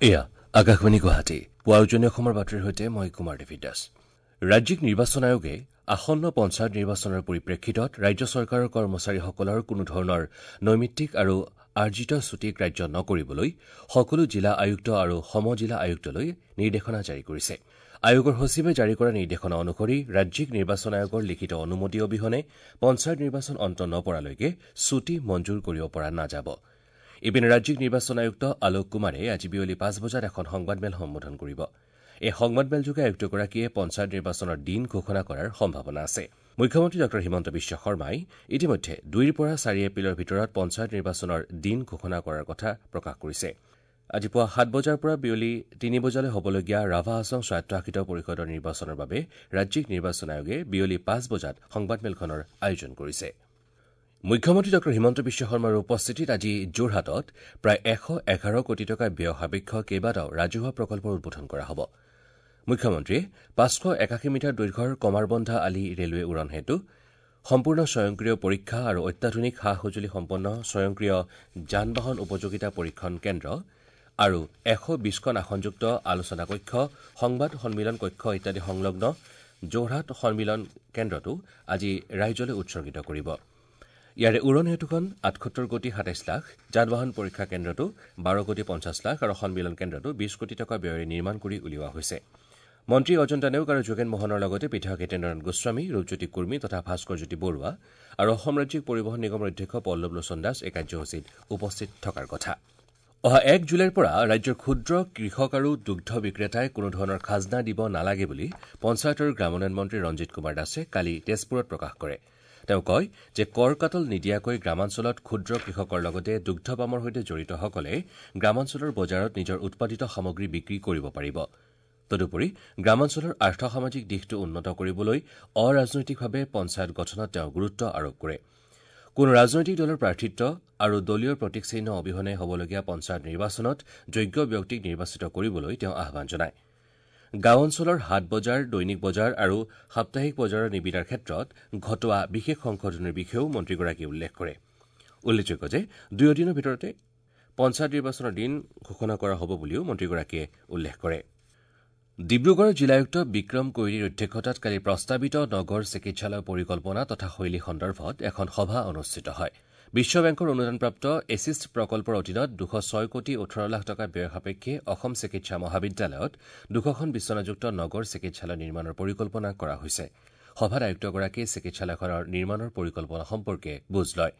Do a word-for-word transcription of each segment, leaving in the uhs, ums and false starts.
এয়া আকাশবাণী গুৱাহাটী পুৱা উজনি অসমৰ বাতৰিৰ সৈতে মই কুমাৰ দেৱী দাস। ৰাজ্যিক নিৰ্বাচন আয়োগে আসন্ন পঞ্চায়ত নিৰ্বাচনৰ পৰিপ্ৰেক্ষিতত ৰাজ্য চৰকাৰৰ কৰ্মচাৰীসকলৰ কোনো ধৰণৰ নৈমিত্তিক আৰু আৰ্জিত ছুটী গ্ৰাহ্য নকৰিবলৈ সকলো জিলা আয়ুক্ত আৰু সম জিলা আয়ুক্তলৈ নিৰ্দেশনা জাৰি কৰিছে। আয়োগৰ সচিবে জাৰি কৰা নিৰ্দেশনা অনুসৰি ৰাজ্যিক নিৰ্বাচন আয়োগৰ লিখিত অনুমতি অবিহনে পঞ্চায়ত নিৰ্বাচন অন্ত নপৰালৈকে ছুটী মঞ্জুৰ কৰিব পৰা নাযাব। ইপিনে ৰাজ্যিক নিৰ্বাচন আয়ুক্ত আলোক কুমাৰে আজি বিয়লি পাঁচ বজাত এখন সংবাদমেল সম্বোধন কৰিব। এই সংবাদমেলযোগে আয়ুক্তগৰাকীয়ে পঞ্চায়ত নিৰ্বাচনৰ দিন ঘোষণা কৰাৰ সম্ভাৱনা আছে। মুখ্যমন্ত্ৰী ডঃ হিমন্ত বিশ্ব শৰ্মাই ইতিমধ্যে দুইৰ পৰা চাৰি এপ্ৰিলৰ ভিতৰত পঞ্চায়ত নিৰ্বাচনৰ দিন ঘোষণা কৰাৰ কথা প্ৰকাশ কৰিছে। আজি পুৱা সাত বজাৰ পৰা বিয়লি তিনি বজালৈ হ'বলগীয়া ৰাভা হাছং স্বায়ত্তশাসিত পৰিষদৰ নিৰ্বাচনৰ বাবে ৰাজ্যিক নিৰ্বাচন আয়োগে বিয়লি পাঁচ বজাত সংবাদমেলখনৰ আয়োজন কৰিছে। মুখ্যমন্ত্ৰী ডঃ হিমন্ত বিশ্ব শৰ্মাৰ উপস্থিতিত আজি যোৰহাটত প্ৰায় এশ এঘাৰ কোটি টকা ব্যয় সাপেক্ষ কেইবাটাও ৰাজহুৱা প্ৰকল্পৰ উদ্বোধন কৰা হ'ব। মুখ্যমন্ত্ৰীয়ে পাঁচশ একাশী মিটাৰ দৈৰ্ঘ্যৰ কমাৰবন্ধা আলি ৰেলৱে উৰণ সেতু, সম্পূৰ্ণ স্বয়ংক্ৰিয় পৰীক্ষা আৰু অত্যাধুনিক সা সঁজুলি সম্পন্ন স্বয়ংক্ৰিয় যান বাহন উপযোগিতা পৰীক্ষণ কেন্দ্ৰ আৰু এশ বিশখন আসনযুক্ত আলোচনা কক্ষ, সংবাদ সন্মিলন কক্ষ ইত্যাদি সংলগ্ন যোৰহাট সন্মিলন কেন্দ্ৰটো আজি ৰাইজলৈ উৎসৰ্গিত কৰিব। ইয়াৰে উৰণ সেতুখন আঠসত্তৰ কোটি সাতাইছ লাখ, যান বাহন পৰীক্ষা কেন্দ্ৰটো বাৰ কোটি পঞ্চাছ লাখ আৰু সন্মিলন কেন্দ্ৰটো বিশ কোটি টকা ব্যয়েৰে নিৰ্মাণ কৰি উলিওৱা হৈছে। মন্ত্ৰী অজন্তা নেওগ আৰু যোগেন মোহনৰ লগতে বিধায়ক হিতেন্দ্ৰনাথ গোস্বামী, ৰূপজ্যোতি কুৰ্মী তথা ভাস্কৰজ্যোতি বৰুৱা আৰু অসম ৰাজ্যিক পৰিবহণ নিগমৰ অধ্যক্ষ পল্লৱ লোচন দাস এই কাৰ্যসূচীত উপস্থিত থকাৰ কথা। অহা এক জুলাইৰ পৰা ৰাজ্যৰ ক্ষুদ্ৰ কৃষক আৰু দুগ্ধ বিক্ৰেতাই কোনো ধৰণৰ খাজনা দিব নালাগে বুলি পঞ্চায়ত আৰু গ্ৰামোন্নয়ন মন্ত্ৰী ৰঞ্জিত কুমাৰ দাসে কালি তেজপুৰত প্ৰকাশ কৰে। তেওঁ কয় যে কৰ কাটল নিদিয়াকৈ গ্ৰামাঞ্চলত ক্ষুদ্ৰ কৃষকৰ লগতে দুগ্ধ পামৰ সৈতে জড়িতসকলে গ্ৰামাঞ্চলৰ বজাৰত নিজৰ উৎপাদিত সামগ্ৰী বিক্ৰী কৰিব পাৰিব। তদুপৰি গ্ৰামাঞ্চলৰ আৰ্থসামাজিক দিশটো উন্নত কৰিবলৈ অৰাজনৈতিকভাৱে পঞ্চায়ত গঠনত তেওঁ গুৰুত্ব আৰোপ কৰে। কোনো ৰাজনৈতিক দলৰ প্ৰাৰ্থিত্ব আৰু দলীয় প্ৰতীক চিহ্ন অবিহনে হ'বলগীয়া পঞ্চায়ত নিৰ্বাচনত যোগ্য ব্যক্তিক নিৰ্বাচিত কৰিবলৈ তেওঁ আহ্বান জনায়। গাঁও অঞ্চলৰ হাট বজাৰ, দৈনিক বজাৰ আৰু সাপ্তাহিক বজাৰৰ নিবিদাৰ ক্ষেত্ৰত ঘটোৱা বিশেষ সংশোধনীৰ বিষয়েও মন্ত্ৰীগৰাকীয়ে উল্লেখ কৰে। উল্লেখযোগ্য যে দুয়ো দিনৰ ভিতৰতে পঞ্চায়ত নিৰ্বাচনৰ দিন ঘোষণা কৰা হ'ব বুলিও মন্ত্ৰীগৰাকীয়ে উল্লেখ কৰে। ডিব্ৰুগড় জিলায়ুক্ত বিক্ৰম কৈৰীৰ অধ্যক্ষতাত কালি প্ৰস্তাৱিত নগৰ চিকিৎসালয় পৰিকল্পনা তথা শৈলী সন্দৰ্ভত এখন সভা অনুষ্ঠিত হয়। বিশ্ব বেংকৰ অনুদানপ্ৰাপ্ত এছিষ্ট প্ৰকল্পৰ অধীনত দুশ ছয় কোটি ওঠৰ লাখ টকা ব্যয় সাপেক্ষে অসম চিকিৎসা মহাবিদ্যালয়ত দুশখন বিচনাযুক্ত নগৰ চিকিৎসালয় নিৰ্মাণৰ পৰিকল্পনা কৰা হৈছে। সভাত আয়ুক্তগৰাকীয়ে চিকিৎসালয়খনৰ নিৰ্মাণৰ পৰিকল্পনা সম্পৰ্কে বুজ লয়।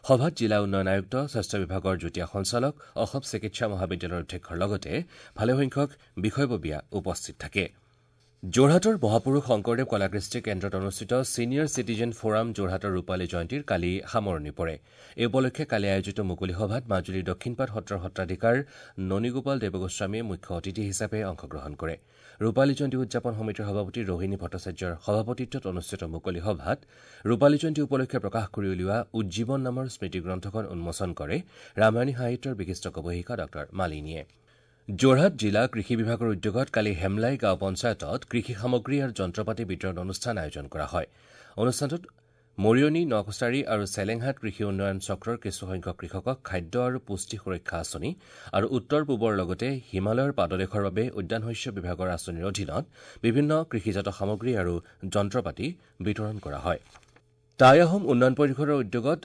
সভাত জিলা উন্নয়ন আয়ুক্ত, স্বাস্থ্য বিভাগৰ যুটীয়া সঞ্চালক, অসম চিকিৎসা মহাবিদ্যালয়ৰ অধ্যক্ষৰ লগতে ভালেসংখ্যক বিষয়ববীয়া উপস্থিত থাকে। যোৰহাটৰ মহাপুৰুষ শংকৰদেৱ কলাকৃষ্টি কেন্দ্ৰত অনুষ্ঠিত ছিনিয়ৰ চিটিজেন ফ'ৰাম যোৰহাটৰ ৰূপালী জয়ন্তীৰ কালি সামৰণি পৰে। এই উপলক্ষে কালি আয়োজিত মুকলি সভাত মাজুলীৰ দক্ষিণপাট সত্ৰৰ সত্ৰাধিকাৰ ননীগোপাল দেৱগোস্বামীয়ে মুখ্য অতিথি হিচাপে অংশগ্ৰহণ কৰে। ৰূপালী জয়ন্তী উদযাপন সমিতিৰ সভাপতি ৰোহিণী ভট্টাচাৰ্যৰ সভাপতিত্বত অনুষ্ঠিত মুকলি সভাত ৰূপালী জয়ন্তী উপলক্ষে প্ৰকাশ কৰি উলিওৱা উজ্জীৱন নামৰ স্মৃতিগ্ৰন্থখন উন্মোচন কৰে ৰামায়ণী সাহিত্যৰ বিশিষ্ট গৱেষিকা ডঃ মালিনীয়ে। যোৰহাট জিলা কৃষি বিভাগৰ উদ্যোগত কালি হেমলাই গাঁও পঞ্চায়তত কৃষি সামগ্ৰী আৰু যন্ত্ৰপাতি বিতৰণ অনুষ্ঠান আয়োজন কৰা হয়। অনুষ্ঠানটোত মৰিয়নি, নকছাৰী আৰু চেলেংহাট কৃষি উন্নয়ন চক্ৰৰ কিছুসংখ্যক কৃষকক খাদ্য আৰু পুষ্টি সুৰক্ষা আঁচনি আৰু উত্তৰ পূবৰ লগতে হিমালয়ৰ পাদদেশৰ বাবে উদ্যান শস্য বিভাগৰ আঁচনিৰ অধীনত বিভিন্ন কৃষিজাত সামগ্ৰী আৰু যন্ত্ৰপাতি বিতৰণ কৰা হয়। টাই আহোম উন্নয়ন পৰিষদৰ উদ্যোগত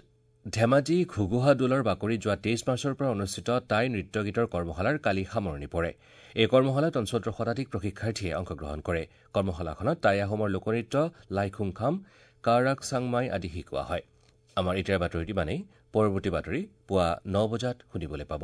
ধেমাজি ঘুগুহা দোলৰ বাকৰিত যোৱা তেইছ মাৰ্চৰ পৰা অনুষ্ঠিত টাই নৃত্য গীতৰ কৰ্মশালাৰ কালি সামৰণি পৰে। এই কৰ্মশালাত অঞ্চলটোৰ শতাধিক প্ৰশিক্ষাৰ্থীয়ে অংশগ্ৰহণ কৰে। কৰ্মশালাখনত টাই আহোমৰ লোকনৃত্য, লাইখুংখাম, কাৰাক চাংমাই আদি শিকোৱা হয়। আমাৰ এতিয়াৰ বাতৰিত ইমানেই। পৰৱৰ্তী বাতৰি পুৱা ন বজাত শুনিবলৈ পাব।